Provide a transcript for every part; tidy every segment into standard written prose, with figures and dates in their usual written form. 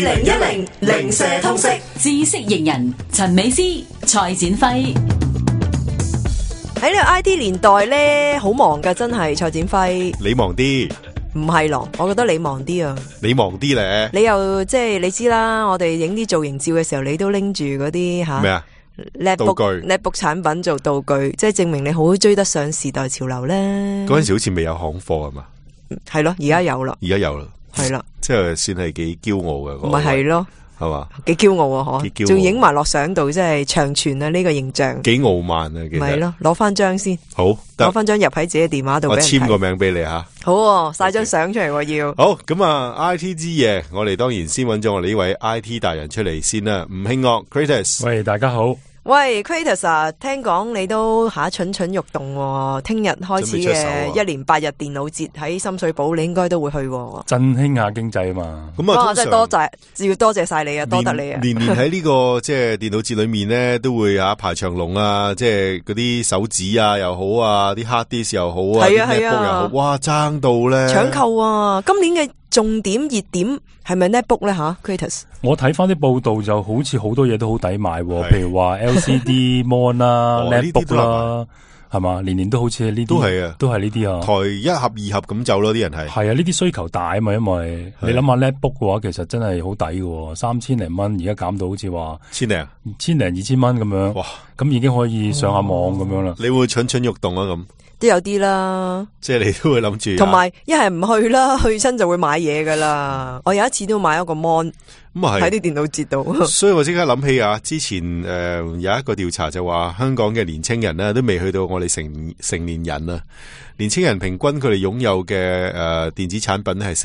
2010零舍通識知識型人陳美詩、蔡展輝。喺呢個 IT 年代咧，好忙噶，真係蔡展輝。你忙啲，唔係咯？我覺得你忙啲啊。你忙啲咧？你又即係你知啦，我哋影啲造型照嘅時候，你都拎住嗰啲吓咩啊？道具 netbook 產品做道具，即係證明你好追得上時代潮流咧。嗰陣時好似未有行貨係嘛？係咯，而家有啦。而家有啦，係啦，即係算係幾驕傲嘅。唔係咯。係嘛？幾驕傲啊！嗬，仲影埋落相度，即係長存啊！呢個形象幾傲慢啊！其實咪咯，攞翻張先，好，攞翻張入喺自己電話度，我簽個名俾你吓。好，晒張相出嚟要。好，咁啊 ，IT 之夜，我哋當然先揾咗我哋呢位 IT 達人出嚟先啦。吳慶岳 Kratos， 喂，大家好。喂 Kratos 啊，聽講你都蠢蠢欲動喎，聽日開始嘅1年8日電腦節喺深水埗，你應該都會去喎。振興下經濟啊嘛。咁啊，真係要多謝晒你啊，多得你啊。年年喺呢個即係電腦節裏面咧，都會排長龍啊，即係嗰啲手指啊又好啊，啲 hard disk 又好啊，啲 notebook 又好，哇爭到咧搶購啊！今年嘅重點熱點係咪 netbook 咧吓 Kratos？ 我睇翻啲報道就好似好多嘢都好抵買，譬如話 LCD mon 啦、netbook 啦，係嘛？年年都好似呢啲，都係啊，都係呢啲啊。台1盒2盒咁走咯，啲人係啊，呢啲需求大啊嘛，因為你諗下 netbook 嘅話，其實真係好抵嘅，3000零蚊，而家減到好似話1000零2000蚊咁樣，哇！咁已經可以上下網咁樣啦。你會蠢蠢欲動啊咁？都有啲啦，即係你都會諗住，同埋一係唔去啦，去親就會買嘢噶啦。我有一次都買一個 mon， 喺啲電腦節度。所以我即刻諗起啊，之前有一個調查就話，香港嘅年青人咧都未去到我哋成年人啊。年青人平均佢哋擁有嘅電子產品係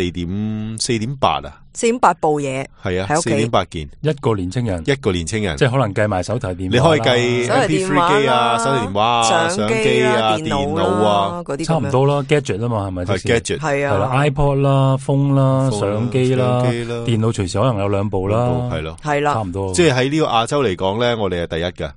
4.8啊，4.8部嘢，係啊，4.8件一個年青人，即係可能計埋手提電話，你可以計 MP3 機啊、手提電話啊、相機啊、電腦啊嗰啲，差唔多啦。gadget 啊嘛，係咪？係 gadget， 係啊，係啦 ，iPod 啦、風啦、相機啦、電腦隨時可能有2部啦，係咯，係啦，差唔多。即係喺呢個亞洲嚟講咧，我哋係第一噶。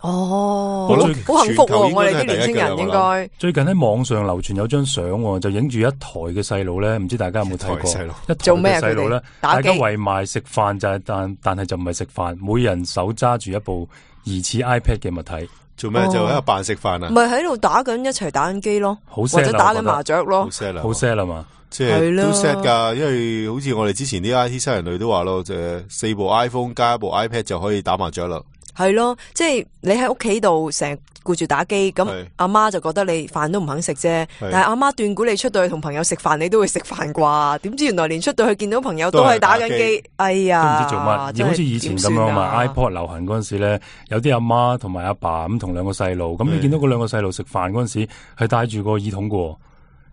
哦，好幸福喎！我哋啲年輕人應該最近喺網上流傳有張相，就影住一台嘅細路咧，唔知大家有冇睇過？一台嘅細路咧，大家圍埋食飯就係，但係就唔係食飯，每人手揸住一部疑似 iPad 嘅物體，做咩？就喺度扮食飯啊？唔係喺度一齊打緊機咯，或者打緊麻雀咯，好 sad 啦嘛！即係都 sad 噶，因為好似我哋之前啲 IT 新人類都話咯，就4部 iPhone 加1部 iPad 就可以打麻雀啦。係咯，即係你喺屋企度成日顧住打機，咁阿媽就覺得你飯都唔肯食啫。但係阿媽斷估你出到去同朋友食飯，你都會食飯啩？點知原來連出到去見到朋友都係打緊機，哎呀，都唔知做乜。而好似以前咁樣嘛 ，iPod 流行嗰陣時咧，有啲阿媽同埋阿爸咁同2個細路，咁你見到嗰2個細路食飯嗰陣時係戴住個耳筒嘅，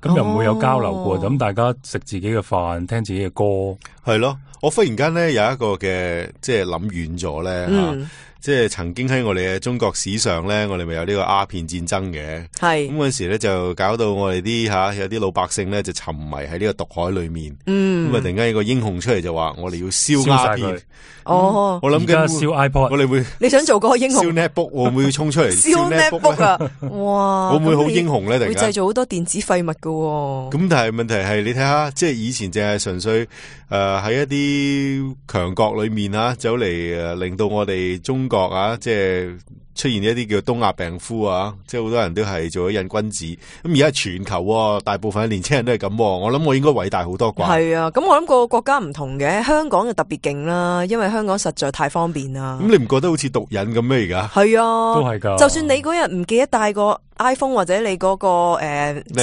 咁又唔會有交流過，咁大家食自己嘅飯，聽自己嘅歌，係咯。我忽然間咧有一個嘅，即係諗遠咗咧吓。即係曾經喺我哋嘅中國史上咧，我哋咪有呢個鴉片戰爭嘅，係咁嗰時咧就搞到我哋啲有啲老百姓咧就沉迷喺呢個毒海裏面，咁啊突然間有個英雄出嚟就話我哋要燒鴉片，我諗緊燒 iPod， 我哋會你想做嗰個英雄？燒 netbook 會唔會衝出嚟燒 netbook 啊？哇，會唔會好英雄咧？突然間會製造好多電子廢物噶，咁但係問題係你睇下，即係以前淨係純粹喺一啲強國裏面走嚟令到我哋中國即係出現一啲叫東亞病夫啊，即係好多人都係做咗癮君子。咁而家全球大部分嘅年輕人都係咁，我諗我應該偉大好多啩。係啊，咁我諗個國家唔同嘅，香港就特別勁啦，因為香港實在太方便啦。咁你唔覺得好似毒癮咁咩？而家係啊，都係噶。就算你嗰日唔記得帶個 iPhone 或者你嗰個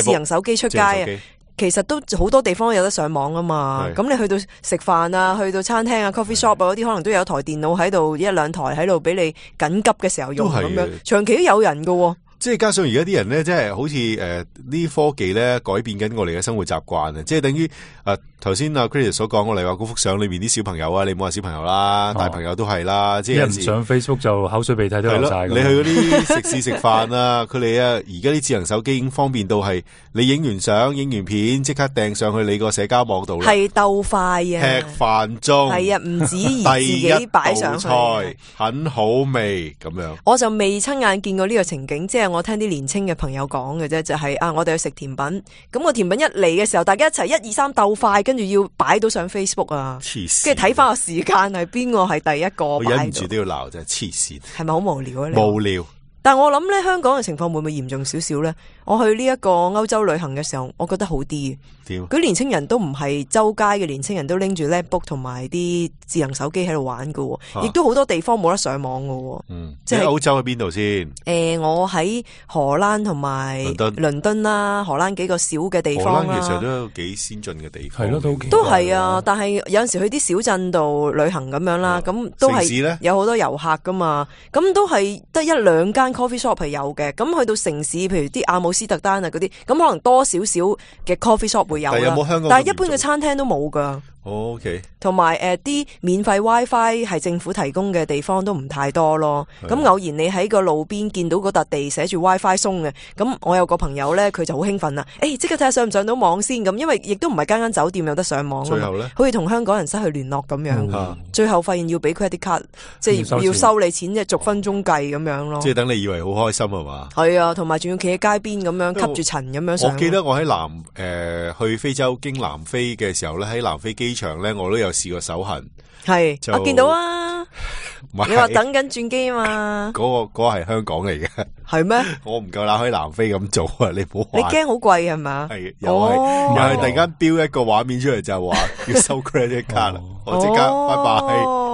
智能手機出街啊。其實都好多地方有得上網啊嘛，咁你去到食飯啊，去到餐廳啊、coffee shop 啊嗰啲，可能都有台電腦喺度，1-2台喺度俾你緊急嘅時候用咁樣，長期都有人噶。即係加上而家啲人咧，即係好似啲科技咧改變緊我哋嘅生活習慣啊！即係等於頭先阿 Chris 所講，我哋話嗰幅相裏面啲小朋友啊，你冇話小朋友啦，大朋友都係啦，即係有時上 Facebook 就口水鼻涕都流晒。你去嗰啲食肆食飯啊，佢哋而家啲智能手機已經方便到係你影完相、影完片，即刻掟上去你個社交網度啦。係鬥快啊！吃飯中係啊，唔止而自己擺上去，第一道菜很好味咁樣。我就未親眼見過呢個情景，即係日我聽啲年青嘅朋友講嘅啫，就係我哋去食甜品，咁個甜品一嚟嘅時候，大家一齊1、2、3鬥快，跟住要擺到上 Facebook 啊，跟住睇翻個時間係邊個係第一個，我忍唔住都要鬧，真係黐線，係咪好無聊啊？無聊。但我諗咧，香港嘅情況會唔會嚴重少少咧？我去呢一個歐洲旅行嘅時候，我覺得好啲。佢年青人都唔係周街嘅年青人都拎住 laptop 同埋啲智能手機喺度玩㗎，亦都好多地方冇得上網㗎。即係歐洲喺邊度先？我喺荷蘭同埋倫敦啦，荷蘭幾個小嘅地方啦。荷蘭其實都有幾先進嘅地方，係咯，都係啊。但係有陣時去啲小鎮度旅行咁樣啦，咁都係有好多遊客噶嘛。咁都係得1、2間 coffee shop 係有嘅。咁去到城市，譬如啲阿姆斯特丹啊嗰啲，咁可能多少少嘅 coffee shop 會有啦。但係一般嘅餐廳都冇噶。OK，同埋啲免費 WiFi 係政府提供嘅地方都唔太多咯。咁偶然你喺個路邊見到嗰笪地寫住 WiFi 鬆嘅，咁我有個朋友咧，佢就好興奮啦。即刻睇下上唔上到網先咁，因為亦都唔係間間酒店有得上網。最後咧，好似同香港人失去聯絡咁樣。最後發現要俾 credit card，即係要收你錢，即係逐分鐘計咁樣咯。即係等你以為好開心係嘛？係啊，同埋仲要企喺街邊咁樣吸住塵咁樣上。我記得我喺去非洲經南非嘅時候咧，喺南非機場咧，我都有試過手痕，我見到啊！你話等緊轉機啊嘛？嗰個係香港嚟嘅，係咩？我唔夠膽喺南非咁做啊！你唔好話，你驚好貴係嘛？係又係突然間標一個畫面出嚟就話要收 credit card 啦，我即刻拜拜。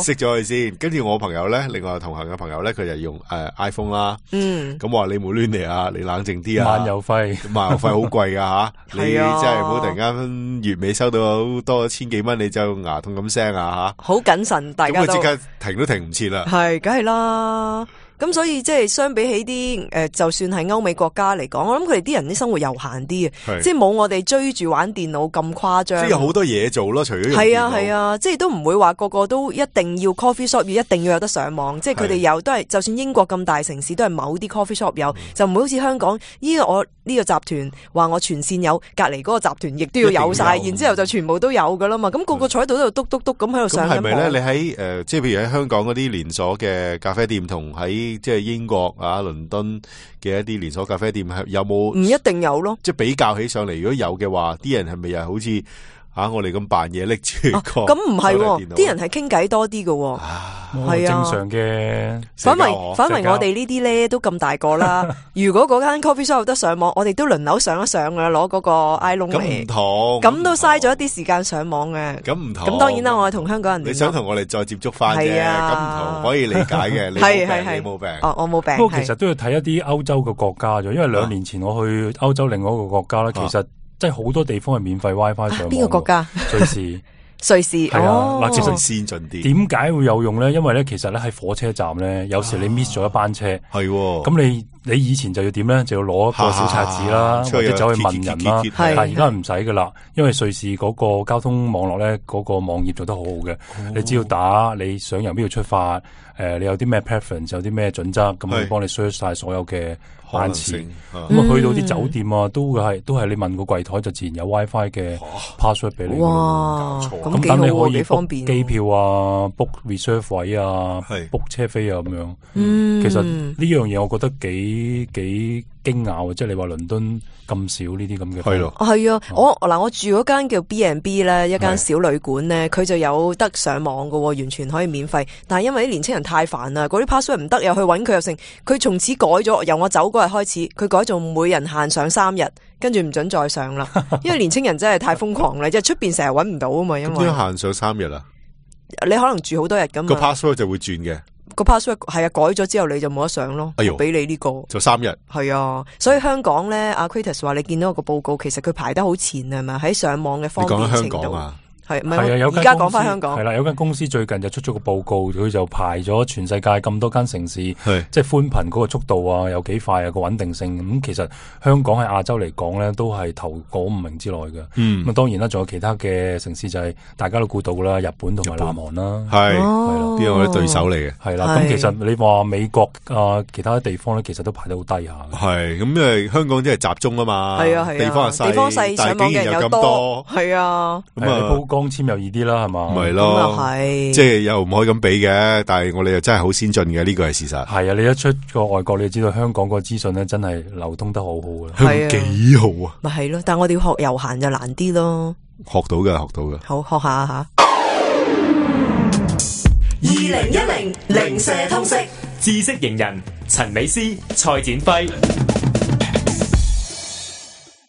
熄咗佢先，跟住我朋友咧，另外同行嘅朋友咧，佢就用iPhone 啦。咁我話你冇亂嚟啊，你冷靜啲啊。漫遊費好貴噶吓，你真係唔好突然間月尾收到好多千幾蚊，你就牙痛咁聲啊吓。好謹慎，大家都。咁佢即刻停都停唔切啦。係，梗係啦。咁所以即係相比起啲就算係歐美國家嚟講，我諗佢哋啲人啲生活悠閒啲嘅，即係冇我哋追住玩電腦咁誇張。即係有好多嘢做咯，除咗用電腦。係啊，即係都唔會話個個都一定要 coffee shop 一定要有得上網。即係佢哋有都係，就算英國咁大城市都係某啲 coffee shop 有，就唔會好似香港我呢個集團話我全線有，隔離嗰個集團亦都要有晒，然之後就全部都有噶啦嘛。咁個個坐喺度都篤篤篤咁喺度上緊網。咁係咪咧？你喺即係譬如喺香港嗰啲連鎖嘅咖啡店同喺即係英國倫敦嘅一啲連鎖咖啡店係有冇？唔一定有咯。即係比較起上嚟，如果有嘅話，啲人係咪又好似我哋咁扮嘢拎住個？咁唔係，啲人係傾偈多啲嘅。係正常嘅。反為我哋呢啲咧都咁大個啦。如果嗰間 coffee shop 有得上網，我哋都輪流上一上噶啦，攞嗰個 iPhone 嚟。咁唔同。咁都嘥咗一啲時間上網嘅。咁唔同。咁當然啦，我係同香港人。你想同我哋再接觸翻啫。咁唔同，可以理解嘅。你冇病。我冇病。不過其實都要睇一啲歐洲嘅國家咗，因為2年前我去歐洲另外一個國家咧，其實即係好多地方係免費 WiFi 上網。邊個國家？瑞士。瑞士係啊，嗱，其實先進啲。點解會有用咧？因為咧，其實咧喺火車站咧，有時你 miss 咗一班車，係咁你以前就要點咧？就要攞一個小冊子啦，或者走去問人啦。但係而家唔使噶啦，因為瑞士嗰個交通網絡咧，嗰個網頁做得好好嘅。你只要打你想由邊度出發，你有啲咩 preference， 有啲咩準則，咁佢幫你 search 晒所有嘅班次。咁去到啲酒店啊，都係你問個櫃台就自然有 WiFi 嘅 password 俾你。哇，咁等你可以 book 機票啊 ，book reserve 位啊 ，book 車飛啊咁樣。其實呢樣嘢我覺得幾驚訝，即係你話倫敦咁少呢啲咁嘅。係咯，係啊，我住嗰間叫 B&B 咧，一間小旅館咧，佢就有得上網噶，完全可以免費。但係因為啲年青人太煩啦，嗰啲 password 唔得，又去搵佢又成，佢從此改咗，由我走嗰日開始，佢改做每人限上3日，跟住唔准再上啦。因為年青人真係太瘋狂啦，即係出邊成日搵唔到啊嘛。因為限上3日啊，你可能住好多日噶嘛，個 password 就會轉嘅。個 password 係啊，改咗之後你就冇得上咯。俾你呢個就3日。係啊，所以香港咧，阿 Kratos 話你見到個報告，其實佢排得好前係咪？喺上網嘅方便程度。你講香港啊？係啊，而家講翻香港係啦，有間公司最近就出咗個報告，佢就排咗全世界咁多間城市，即係寬頻嗰個速度啊，有幾快啊，個穩定性。咁其實香港喺亞洲嚟講咧，都係頭嗰5名之內嘅。咁當然啦，仲有其他嘅城市就係大家都估到啦，日本同埋南韓啦，係啦，邊有啲對手嚟嘅。係啦，咁其實你話美國啊，其他地方咧，其實都排得好低下。係咁，因為香港真係集中啊嘛，係啊，地方又細，地方細，上網嘅人又多，係啊，咁啊，光纖又易啲啦，係嘛？咪咯，即係又唔可以咁比嘅，但係我哋又真係好先進嘅，呢個係事實。係啊，你一出個外國，你就知道香港個資訊咧真係流通得好好嘅，香港幾好啊！咪係咯，但係我哋要學悠閒就難啲咯。學到嘅，學到嘅。好，學下吓。2010零舍通識知識型人陳美詩、蔡展輝。